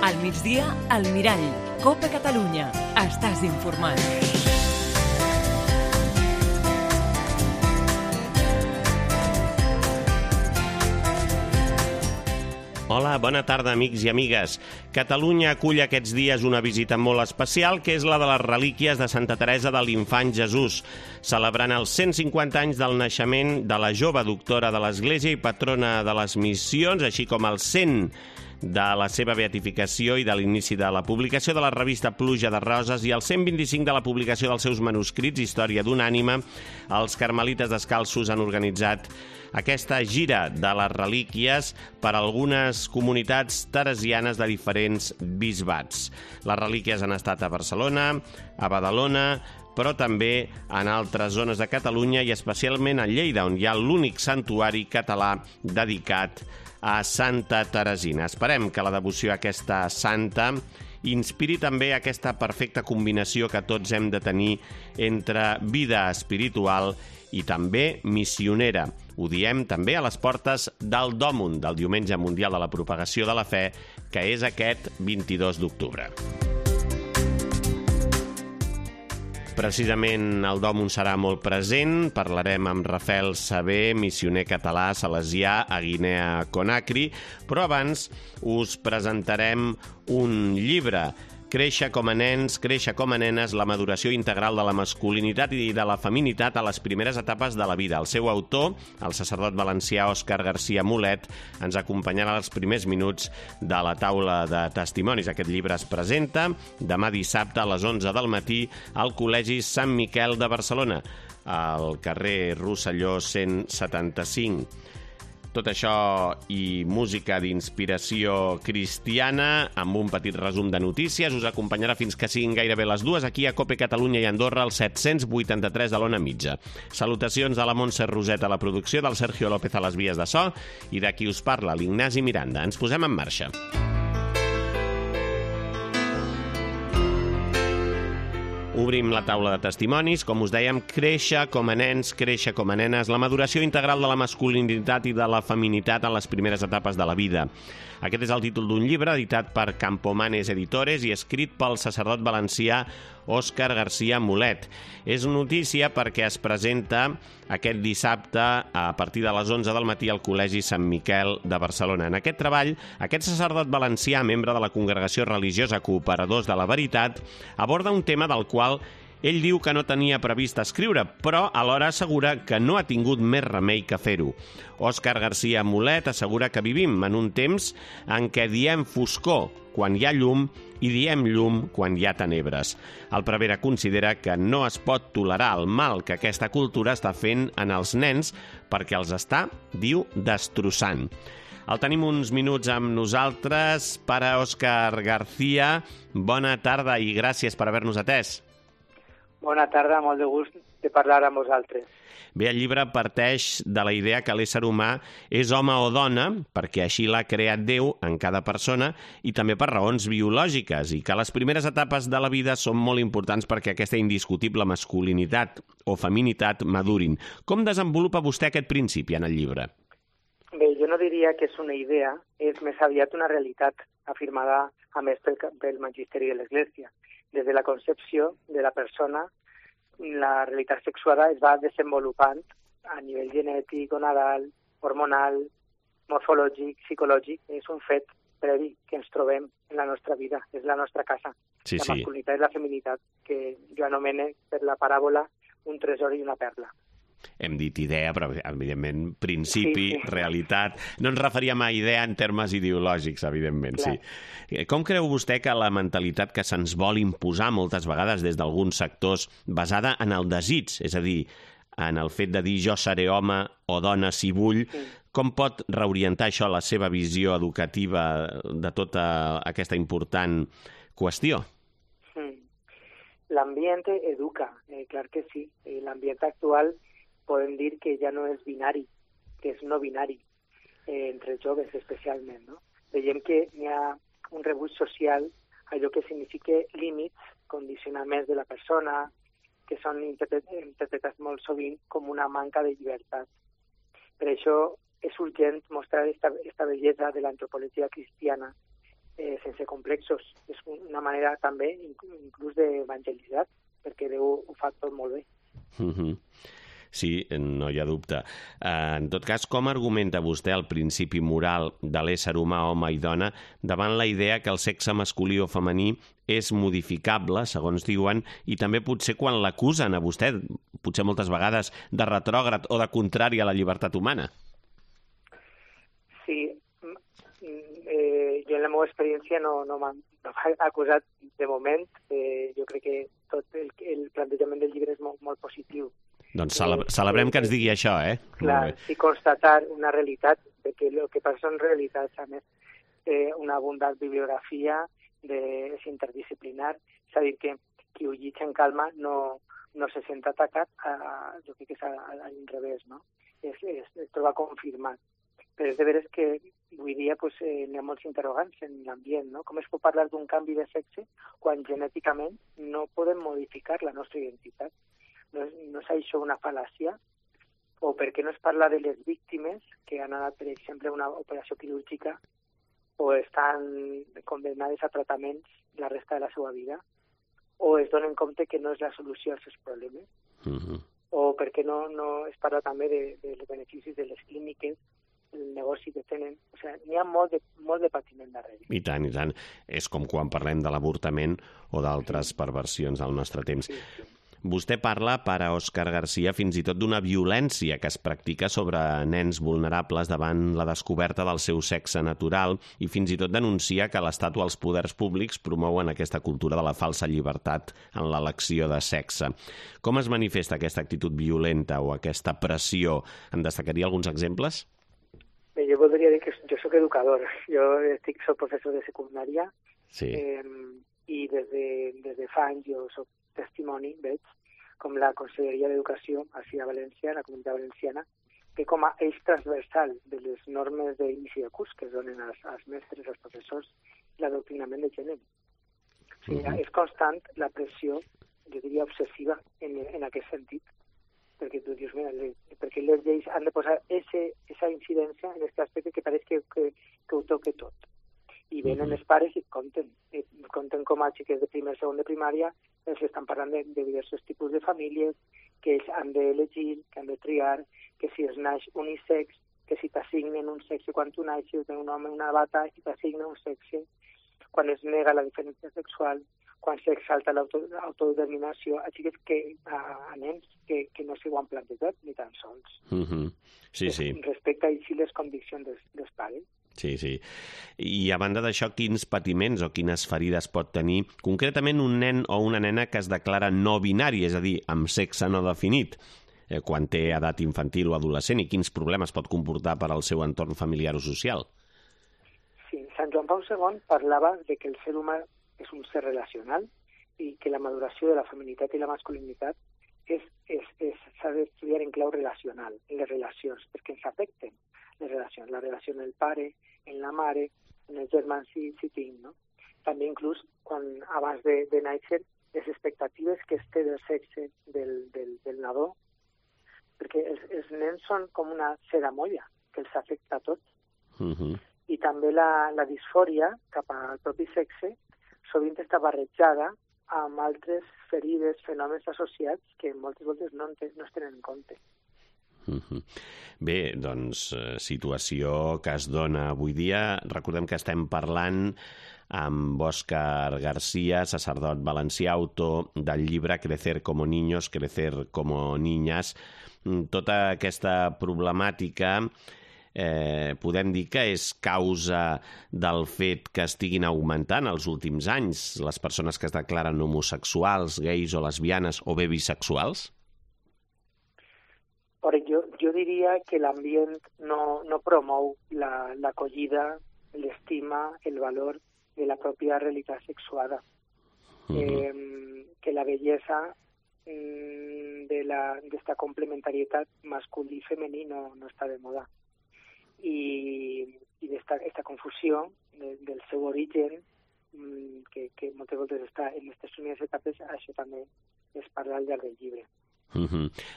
Al migdia, al Mirall. Copa Catalunya. Estàs informat. Hola, bona tarda, amics i amigues. Catalunya acull aquests dies una visita molt especial, que és la de les relíquies de Santa Teresa de l'Infant Jesús, celebrant els 150 anys del naixement de la jove doctora de l'Església i patrona de les missions, així com els 100 de la seva beatificació i de l'inici de la publicació de la revista Pluja de Roses i el 125 de la publicació dels seus manuscrits Història d'una ànima. Els carmelites descalços han organitzat aquesta gira de les relíquies per a algunes comunitats teresianes de diferents bisbats. Les relíquies han estat a Barcelona, a Badalona, però també en altres zones de Catalunya i especialment a Lleida, on hi ha l'únic santuari català dedicat a Santa Teresina. Esperem que la devoció a aquesta santa inspiri també aquesta perfecta combinació que tots hem de tenir entre vida espiritual i també missionera. Ho diem també a les portes del Dòmun, del Diumenge Mundial de la Propagació de la Fe, que és aquest 22 d'octubre. Precisament el Dòmun serà molt present. Parlarem amb Rafael Sabé, missioner català salesià a Guinea Conakry, però abans us presentarem un llibre, Créixer com a nens, créixer com a nenes, la maduració integral de la masculinitat i de la feminitat a les primeres etapes de la vida. El seu autor, el sacerdot valencià Òscar García Mulet, ens acompanyarà als primers minuts de la taula de testimonis. Aquest llibre es presenta demà dissabte a les 11 del matí al Col·legi Sant Miquel de Barcelona, al carrer Rosselló 175. Tot això i música d'inspiració cristiana, amb un petit resum de notícies, us acompanyarà fins que siguin gairebé les 2 aquí a Cope Catalunya i Andorra, al 783 de l'Ona Mitja. Salutacions de la Montse Roset a la producció, del Sergio López a les vies de so i de qui us parla, l'Ignasi Miranda. Ens posem en marxa. Obrim la taula de testimonis. Com us dèiem, créixer com a nens, créixer com a nenes, la maduració integral de la masculinitat i de la feminitat en les primeres etapes de la vida. Aquest és el títol d'un llibre editat per Campomanes Editores i escrit pel sacerdot valencià Òscar García Mulet. És notícia perquè es presenta aquest dissabte a partir de les 11 del matí al Col·legi Sant Miquel de Barcelona. En aquest treball, aquest sacerdot valencià, membre de la Congregació Religiosa Cooperadors de la Veritat, aborda un tema del qual ell diu que no tenia previst escriure, però alhora assegura que no ha tingut més remei que fer-ho. Òscar García Mulet assegura que vivim en un temps en què diem foscor quan hi ha llum i diem llum quan hi ha tenebres. El prevere considera que no es pot tolerar el mal que aquesta cultura està fent en els nens perquè els està, diu, destrossant. El tenim uns minuts amb nosaltres. Pare Òscar García, bona tarda i gràcies per haver-nos atès. Bona tarda, molt de gust de parlar amb vosaltres. Bé, el llibre parteix de la idea que l'ésser humà és home o dona, perquè així l'ha creat Déu en cada persona, i també per raons biològiques, i que les primeres etapes de la vida són molt importants perquè aquesta indiscutible masculinitat o feminitat madurin. Com desenvolupa vostè aquest principi en el llibre? Bé, jo no diria que és una idea, és més aviat una realitat afirmada a més pel magisteri de l'Església. Des de la concepció de la persona, la realitat sexuada es va desenvolupant a nivell genètic, gonadal, hormonal, morfològic, psicològic. És un fet previ que ens trobem en la nostra vida, és la nostra casa. Sí, la masculinitat i la feminitat, que jo anomene per la paràbola un tresor i una perla. Hem dit idea, però evidentment principi, sí. Realitat. No ens referíem a idea en termes ideològics, evidentment, clar. Sí. Com creu vostè que la mentalitat que se'ns vol imposar moltes vegades des d'alguns sectors basada en el desig, és a dir, en el fet de dir jo seré home o dona si vull, com pot reorientar això la seva visió educativa de tota aquesta important qüestió? L'ambient educa, clar que sí. L'ambient actual podem dir que ja no és binari, que és no binari, entre joves especialment, no? Veiem que hi ha un rebuig social, allò que significa límits, condicionaments de la persona, que són interpretats molt sovint com una manca de llibertat. Per això és urgent mostrar esta bellesa de l'antropologia cristiana sense complexos. És una manera també inclús d'evangelitzar, perquè Déu ho fa tot molt bé. Sí, no hi ha dubte. En tot cas, com argumenta vostè el principi moral de l'ésser humà, home i dona, davant la idea que el sexe masculí o femení és modificable, segons diuen, i també potser quan l'acusen a vostè, potser moltes vegades, de retrògrad o de contrari a la llibertat humana? Sí, jo en la meva experiència no m'han acusat de moment. Jo crec que tot el plantejament del llibre és molt positiu. Doncs celebrem que ens digui això, Clar, sí, constatar una realitat, que el que passa són realitats, a més, una abundant bibliografia, és interdisciplinar, és a dir, que qui ho llig en calma no se sent atacat, jo crec que és a l'inrevés, no? Es troba confirmat. Però és de veres que avui dia n'hi ha molts interrogants en l'ambient, no? Com es pot parlar d'un canvi de sexe quan genèticament no podem modificar la nostra identitat? No és això una fal·làcia? O per què no es parla de les víctimes que han anat, per exemple, a una operació quirúrgica o estan condemnades a tractaments la resta de la seva vida? O es donen compte que no és la solució als seus problemes? O per què no es parla també dels beneficis de les clíniques, el negoci que tenen? O sigui, n'hi ha molt de patiment darrere. I tant, i tant. És com quan parlem de l'avortament o d'altres perversions al nostre temps. Sí. Vostè parla, per a Òscar Garcia, fins i tot d'una violència que es practica sobre nens vulnerables davant la descoberta del seu sexe natural i fins i tot denuncia que l'Estat o els poders públics promouen aquesta cultura de la falsa llibertat en l'elecció de sexe. Com es manifesta aquesta actitud violenta o aquesta pressió? En destacaria alguns exemples? Bé, jo voldria dir que jo soc educador. Jo soc professor de secundària. Sí. I des de fa anys jo soc testimoni, veig, com la Conselleria d'Educació, així a València, la Comunitat Valenciana, que com a eix transversal de les normes d'inici de curs que es donen als mestres, als professors, l'adoctrinament de gènere. O sigui, és constant la pressió, jo diria obsessiva, en aquest sentit, perquè tu dius, mira, perquè les lleis han de posar esa incidència en aquest aspecte que pareix que ho toque tot. I venen els pares i compten com a xiques de primer i segon de primària els estan parlant de diversos tipus de famílies, que ells han d'elegir, que han de triar, que si es naix unisex, que si t'assignen un sexe quan tu naixes, un home una bata i t'assignen un sexe, quan es nega la diferència sexual, quan s'exalta l'autodeterminació, a xiques a nens que no s'ho han plantejat ni tan sols. Sí. Respecte a les conviccions dels pares. Sí. I a banda d'això, quins patiments o quines ferides pot tenir concretament un nen o una nena que es declara no binari, és a dir, amb sexe no definit, quan té edat infantil o adolescent, i quins problemes pot comportar per al seu entorn familiar o social? Sí, Sant Joan Pau II parlava de que el ser humà és un ser relacional i que la maduració de la feminitat i la masculinitat s'ha d'estudiar en clau relacional, en les relacions, perquè ens afecten les relacions, la relació amb el pare, en la mare, en els germans si tinc, no? També inclús abans de néixer, les expectatives que es té del sexe del nadó, perquè els nens són com una sedamolla que els afecta a tots. I també la disfòria cap al propi sexe sovint està barrejada amb altres ferides, fenòmens associats que moltes voltes no es tenen en compte. Bé, doncs, situació que es dona avui dia. Recordem que estem parlant amb Òscar Garcia, sacerdot valencià, autor del llibre Crecer como niños, crecer como niñas. Tota aquesta problemàtica podem dir que és causa del fet que estiguin augmentant els últims anys les persones que es declaren homosexuals, gais o lesbianes o bé bisexuals? Jo diria que l'ambient no promou l'acollida, l'estima, el valor de la pròpia realitat sexuada. Que la bellesa d'esta complementarietat masculí i femení no està de moda. I esta confusió del seu origen, que moltes voltes està en aquestes primeres etapes, això també es parla al llarg del llibre.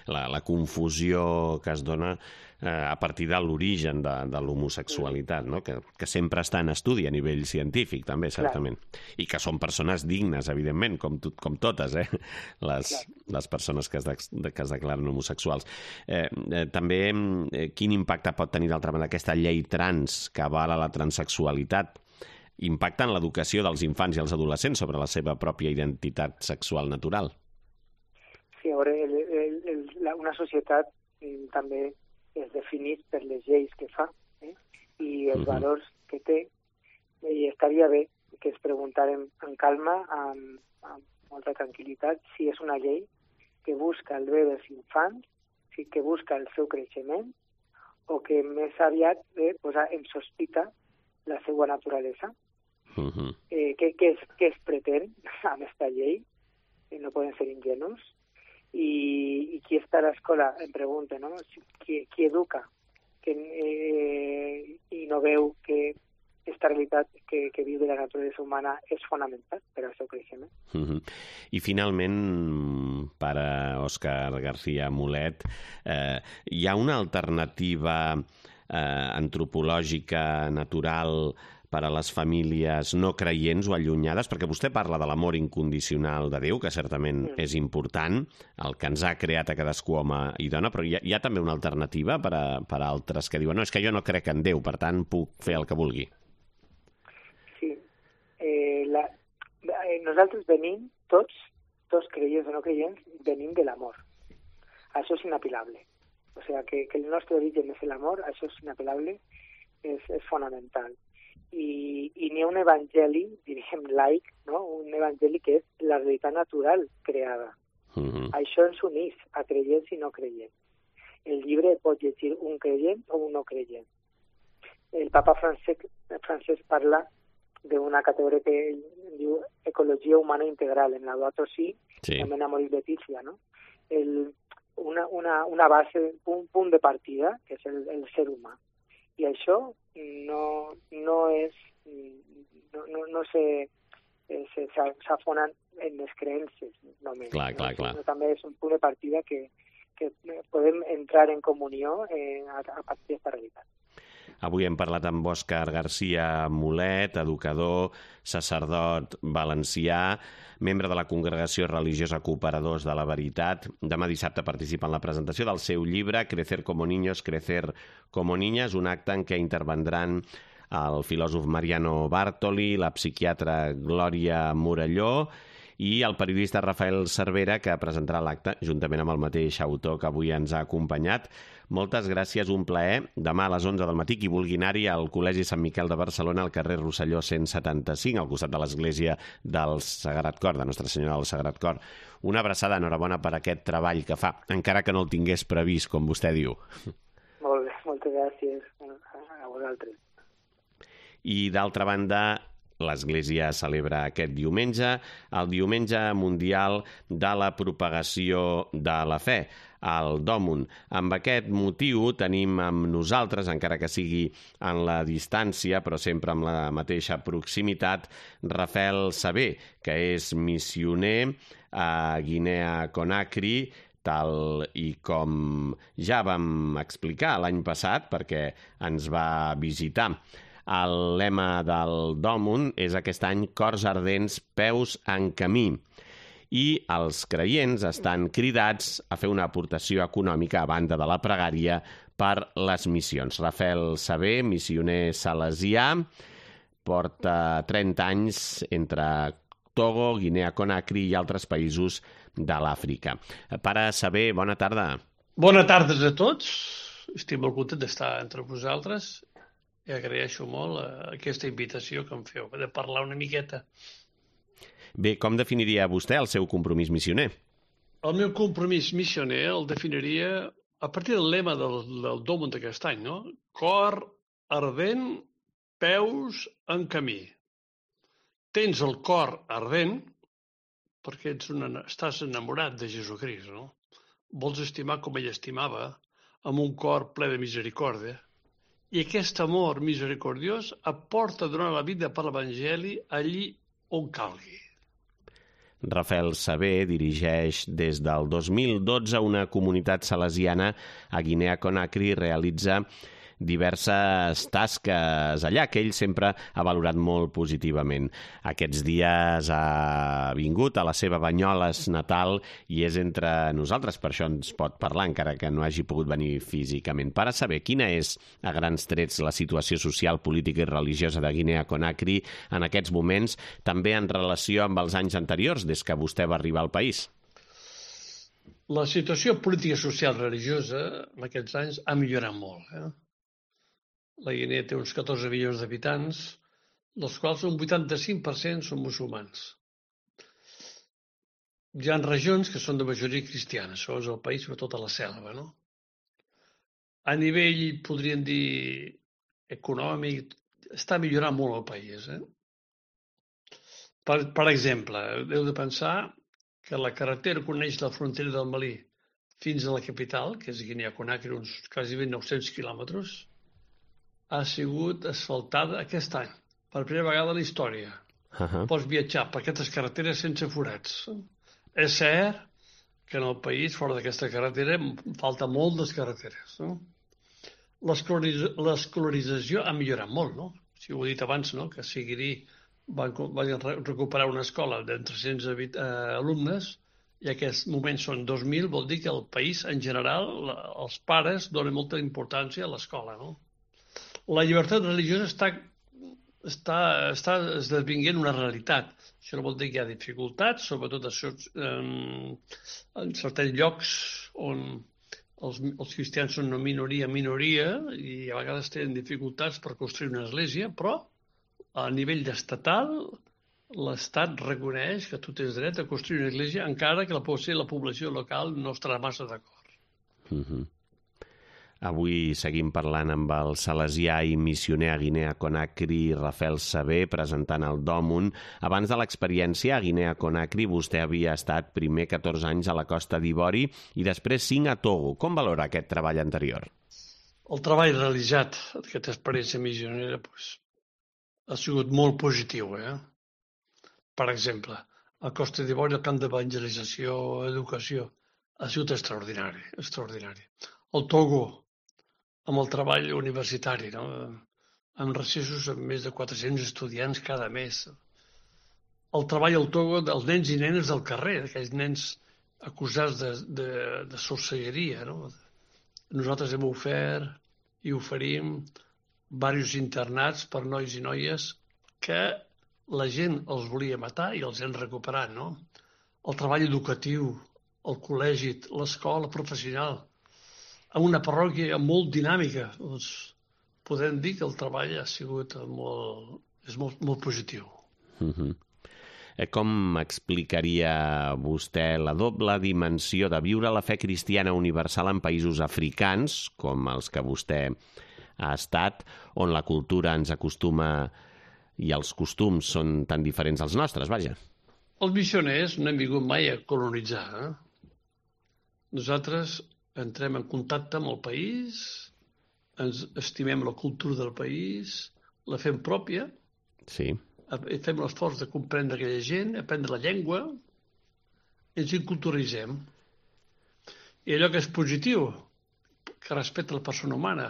La confusió que es dona a partir de l'origen de l'homosexualitat, no? Que sempre està en estudi a nivell científic, també, certament. I que són persones dignes, evidentment, com totes, les persones que es declaren homosexuals. També, quin impacte pot tenir, d'altra banda, aquesta llei trans que avala la transsexualitat? Impacta en l'educació dels infants i els adolescents sobre la seva pròpia identitat sexual natural? Sí, a veure, una societat també es defineix per les lleis que fa i els valors que té, i estaria bé que ens preguntàrem en calma, amb molta tranquil·litat, si és una llei que busca el bé dels infants, que busca el seu creixement, o que més aviat posa en sospita la seva naturalesa. Què es pretén amb aquesta llei? No poden ser ingenus. I qui està a l'escola, em pregunta, no? Qui educa i no veu que aquesta realitat que viu de la naturalesa humana és fonamental per al seu creixement. I finalment, pare Òscar García Mulet, hi ha una alternativa antropològica, natural, per a les famílies no creients o allunyades, perquè vostè parla de l'amor incondicional de Déu, que certament és important, el que ens ha creat a cadascú home i dona, però hi ha també una alternativa per a altres que diuen no, és que jo no crec en Déu, per tant puc fer el que vulgui. Sí. Nosaltres venim, tots creients o no creients, venim de l'amor. Això és inapel·lable. O sigui, que el nostre origen és l'amor, això és inapel·lable, és fonamental. I n'hi ha un evangeli, diríem laic, no? Un evangeli que és la realitat natural creada. Això ens uneix a creients i no creients. El llibre pot llegir un creient o un no creient. El papa Francesc parla d'una categoria que diu ecologia humana integral, en Laudato Si, també en Amoris Laetitia, no? Una base, un punt de partida, que és el ser humà. I això no s'afonen en les creences només. Clar. També és un punt de partida que podem entrar en comunió a partir d'aquesta realitat. Avui hem parlat amb Òscar García Mulet, educador, sacerdot valencià, membre de la Congregació Religiosa Cooperadors de la Veritat. Demà dissabte participa en la presentació del seu llibre Crecer como niños, crecer como niñas, un acte en què intervendran el filòsof Mariano Bartoli, la psiquiatra Glòria Morelló i el periodista Rafael Cervera, que presentarà l'acte juntament amb el mateix autor que avui ens ha acompanyat. Moltes gràcies, un plaer. Demà a les 11 del matí, qui vulgui anar-hi al Col·legi Sant Miquel de Barcelona, al carrer Rosselló 175, al costat de l'església del Sagrat Cor, de Nostra Senyora del Sagrat Cor. Una abraçada, enhorabona per aquest treball que fa, encara que no el tingués previst, com vostè diu. Molt bé, moltes gràcies a vosaltres. I d'altra banda, l'Església celebra aquest diumenge, el Diumenge Mundial de la Propagació de la Fe, el Dòmun. Amb aquest motiu tenim amb nosaltres, encara que sigui en la distància, però sempre amb la mateixa proximitat, Rafael Sabé, que és missioner a Guinea Conakry, tal i com ja vam explicar l'any passat, perquè ens va visitar. El lema del Dòmun és aquest any Cors ardents, peus en camí. I els creients estan cridats a fer una aportació econòmica a banda de la pregària per les missions. Rafael Sabé, missioner salesià, porta 30 anys entre Togo, Guinea Conakry i altres països de l'Àfrica. Pare Sabé, bona tarda. Bona tarda a tots. Estic molt content d'estar entre vosaltres i agraeixo molt aquesta invitació que em feu de parlar una miqueta. Bé, com definiria vostè el seu compromís missioner? El meu compromís missioner el definiria a partir del lema del Dòmun d'aquest any, no? Cor ardent, peus en camí. Tens el cor ardent perquè estàs enamorat de Jesucrist, no? Vols estimar com ell estimava, amb un cor ple de misericòrdia. I aquest amor misericordiós aporta a donar la vida per l'Evangeli allí on calgui. Rafael Sabé dirigeix des del 2012 una comunitat salesiana a Guinea Conakry i realitza diverses tasques allà, que ell sempre ha valorat molt positivament. Aquests dies ha vingut a la seva Banyoles natal i és entre nosaltres, per això ens pot parlar, encara que no hagi pogut venir físicament. Per a saber quina és, a grans trets, la situació social, política i religiosa de Guinea Conakry en aquests moments, també en relació amb els anys anteriors, des que vostè va arribar al país. La situació política, social, religiosa en aquests anys ha millorat molt. La Guinea té uns 14 milions d'habitants, dels quals un 85% són musulmans. Hi ha regions que són de majoria cristiana, això és el país, sobretot a la selva, no? A nivell, podríem dir, econòmic, està millorant molt el país. Per exemple, heu de pensar que la carretera que uneix la frontera del Malí fins a la capital, que és Guinea Conakry, uns quasi 900 quilòmetres, ha sigut asfaltada aquest any, per primera vegada a la història. Pots viatjar per aquestes carreteres sense forats. És cert que en el país, fora d'aquesta carretera, falta molt les carreteres. L'escolarització ha millorat molt, no? Si ho he dit abans, no? Que a Siguiri van recuperar una escola de 300 alumnes i en aquest moment són 2.000, vol dir que el país, en general, els pares donen molta importància a l'escola, no? La llibertat religiosa està esdevinguent una realitat. Això no vol dir que hi ha dificultats, sobretot en certs llocs on els cristians són una minoria, i a vegades tenen dificultats per construir una església, però a nivell estatal l'Estat reconeix que tu tens dret a construir una església encara que la població local no estarà massa d'acord. Avui seguim parlant amb el salesià i missioner a Guinea Conakry, Rafael Sabé, presentant el Dòmun. Abans de l'experiència a Guinea Conakry, vostè havia estat primer 14 anys a la Costa d'Ivori i després 5 a Togo. Com valora aquest treball anterior? El treball realitzat d'aquesta experiència missionera ha sigut molt positiu. Per exemple, a Costa d'Ivori el camp d'evangelització, educació, ha sigut extraordinari. El Togo, amb el treball universitari, no? Amb recessos amb més de 400 estudiants cada mes. El treball al Togo dels nens i nenes del carrer, aquells nens acusats de sorcelleria, no? Nosaltres hem ofert i oferim diversos internats per nois i noies que la gent els volia matar i els hem recuperat, no? El treball educatiu, el col·legi, l'escola professional, en una parròquia molt dinàmica, doncs podem dir que el treball ha sigut molt positiu. Com explicaria vostè la doble dimensió de viure la fe cristiana universal en països africans, com els que vostè ha estat, on la cultura ens acostuma i els costums són tan diferents als nostres, vaja? Els missioners no hem vingut mai a colonitzar. Nosaltres entrem en contacte amb el país, ens estimem la cultura del país, la fem pròpia, fem l'esforç de comprendre aquella gent, aprendre la llengua, i ens inculturitzem. I allò que és positiu, que respecta la persona humana,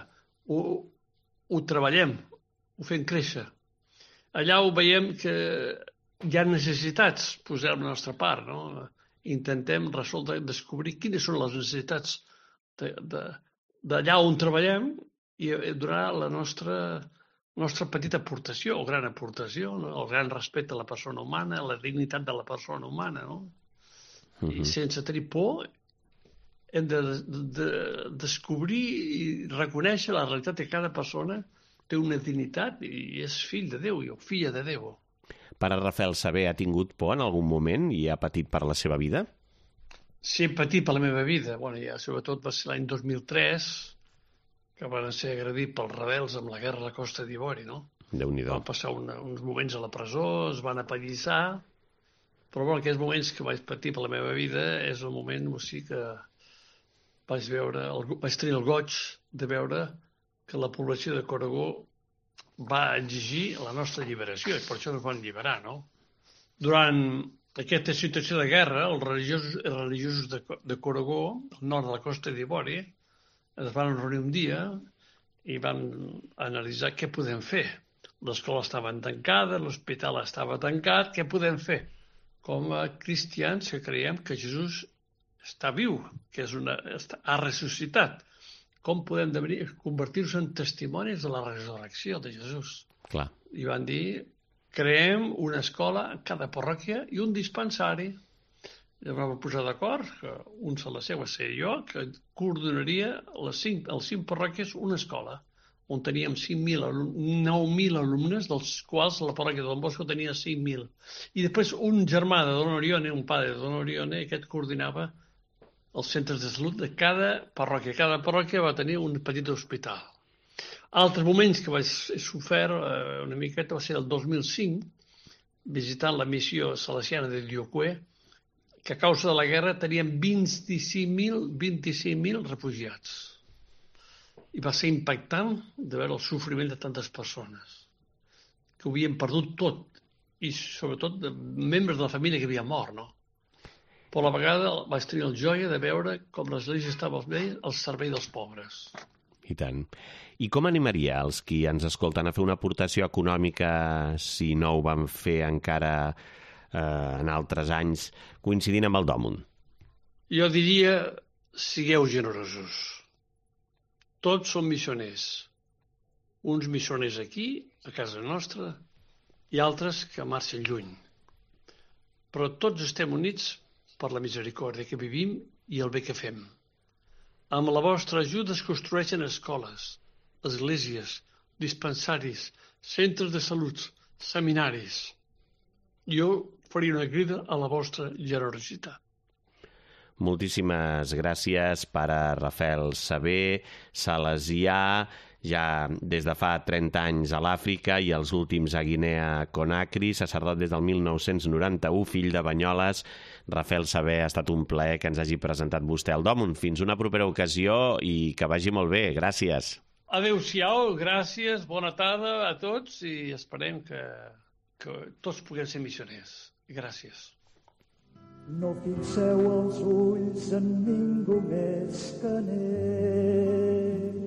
ho treballem, ho fem créixer. Allà ho veiem que hi ha necessitats, posem la nostra part, no? Intentem resoldre, descobrir quines són les necessitats d'allà on treballem i donar la nostra petita aportació, o gran aportació, no? El gran respecte a la persona humana, la dignitat de la persona humana, no? I sense tenir por hem de descobrir i reconèixer la realitat que cada persona té una dignitat i és fill de Déu o filla de Déu. Pare Rafael Sabé ha tingut por en algun moment i ha patit per la seva vida? Sí, he patit per la meva vida. Sobretot va ser l'any 2003, que van ser agredits pels rebels amb la guerra a la Costa d'Ivori, no? Déu-n'hi-do. Van passar uns moments a la presó, es van apallissar, però aquells moments que vaig patir per la meva vida és el moment que vaig tenir el goig de veure que la població de Corogó va exigir la nostra alliberació i per això ens van alliberar, no? Durant aquesta situació de guerra, els religiosos de Corogó, al nord de la Costa d'Ivori, es van reunir un dia i van analitzar què podem fer. L'escola estava tancada, l'hospital estava tancat, què podem fer? Com a cristians que creiem que Jesús està viu, que ha ressuscitat. Com podem convertir-nos en testimonis de la resurrecció de Jesús? Clar. I van dir, creem una escola en cada parròquia i un dispensari. I vam posar d'acord que un se la seva ser jo, que coordinaria les 5 parròquies una escola, on teníem 9.000 alumnes, dels quals la parròquia de Don Bosco tenia 5.000. I després un germà de Don Orione, un pare de Don Orione, aquest coordinava els centres de salut de cada parròquia. Cada parròquia va tenir un petit hospital. Altres moments que vaig sofert una miqueta va ser el 2005, visitant la missió salesiana de Diocué, que a causa de la guerra teníem 25.000 refugiats. I va ser impactant de veure el sofriment de tantes persones que ho havien perdut tot, i sobretot de membres de la família que havien mort, no? Però a la vegada vaig tenir el joia de veure com l'Església estava al servei dels pobres. I tant. I com animaria els qui ens escolten a fer una aportació econòmica si no ho van fer encara en altres anys, coincidint amb el Dòmun? Jo diria, sigueu generosos. Tots som missioners. Uns missioners aquí, a casa nostra, i altres que marxen lluny. Però tots estem units per la misericòrdia que vivim i el bé que fem. Amb la vostra ajuda es construeixen escoles, esglésies, dispensaris, centres de salut, seminaris. Jo faria una crida a la vostra generositat. Moltíssimes gràcies, pare Rafael Saber, salesià, ja des de fa 30 anys a l'Àfrica i els últims a Guinea Conakry, sacerdot des del 1991, fill de Banyoles. Rafael Saber, ha estat un plaer que ens hagi presentat vostè al Dòmun. Fins una propera ocasió i que vagi molt bé. Gràcies. Adéu-siau, gràcies, bona tarda a tots i esperem que tots puguem ser missioners. Gràcies. No fixeu els ulls en ningú més que en ell.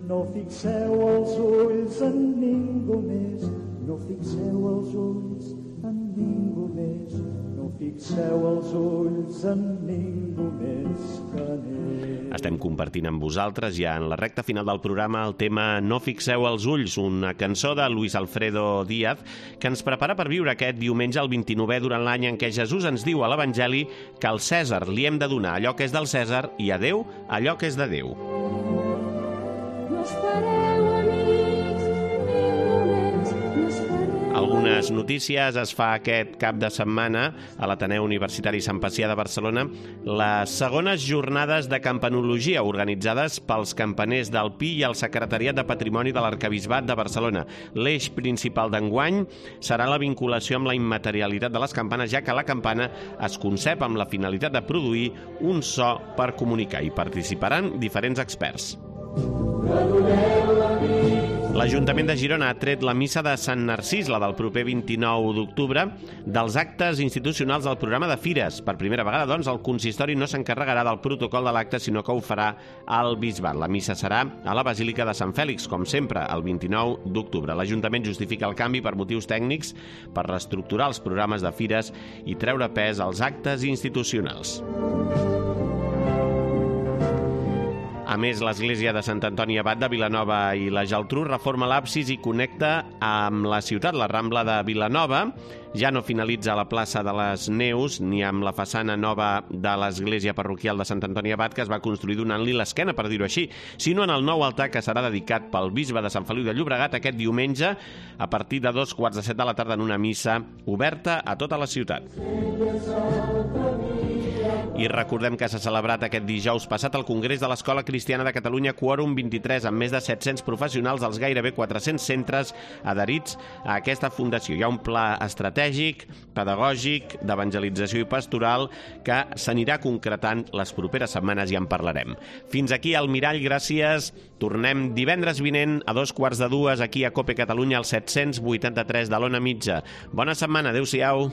No fixeu els ulls en ningú més. No fixeu els ulls en ningú més. No fixeu els ulls en ningú més que en ell. Estem compartint amb vosaltres ja en la recta final del programa el tema No fixeu els ulls, una cançó de Luis Alfredo Díaz que ens prepara per viure aquest diumenge el 29è durant l'any en què Jesús ens diu a l'Evangeli que al Cèsar li hem de donar allò que és del Cèsar i a Déu allò que és de Déu. No espereu, amics, ningú més, no espereu. Algunes notícies. Es fa aquest cap de setmana a l'Ateneu Universitari Sant Pacià de Barcelona les segones jornades de campanologia organitzades pels campaners del Pi i el Secretariat de Patrimoni de l'Arquebisbat de Barcelona. L'eix principal d'enguany serà la vinculació amb la immaterialitat de les campanes, ja que la campana es concep amb la finalitat de produir un so per comunicar. Hi participaran diferents experts. L'Ajuntament de Girona ha tret la missa de Sant Narcís, la del proper 29 d'octubre, dels actes institucionals del programa de fires. Per primera vegada, doncs, el consistori no s'encarregarà del protocol de l'acte, sinó que ho farà al Bisbat. La missa serà a la Basílica de Sant Fèlix, com sempre, el 29 d'octubre. L'Ajuntament justifica el canvi per motius tècnics, per reestructurar els programes de fires i treure pes als actes institucionals. A més, l'església de Sant Antoni Abat de Vilanova i la Geltrú reforma l'absis i connecta amb la ciutat. La Rambla de Vilanova ja no finalitza a la plaça de les Neus ni amb la façana nova de l'església parroquial de Sant Antoni Abat, que es va construir donant-li l'esquena, per dir-ho així, sinó en el nou altar que serà dedicat pel bisbe de Sant Feliu de Llobregat aquest diumenge a partir de 2:45 de la tarda en una missa oberta a tota la ciutat. I recordem que s'ha celebrat aquest dijous passat el Congrés de l'Escola Cristiana de Catalunya Quòrum 23, amb més de 700 professionals dels gairebé 400 centres adherits a aquesta fundació. Hi ha un pla estratègic, pedagògic, d'evangelització i pastoral que s'anirà concretant les properes setmanes i en parlarem. Fins aquí al Mirall, gràcies. Tornem divendres vinent a 2:15 aquí a COPE Catalunya al 783 de l'Ona Mitja. Bona setmana, adéu-siau.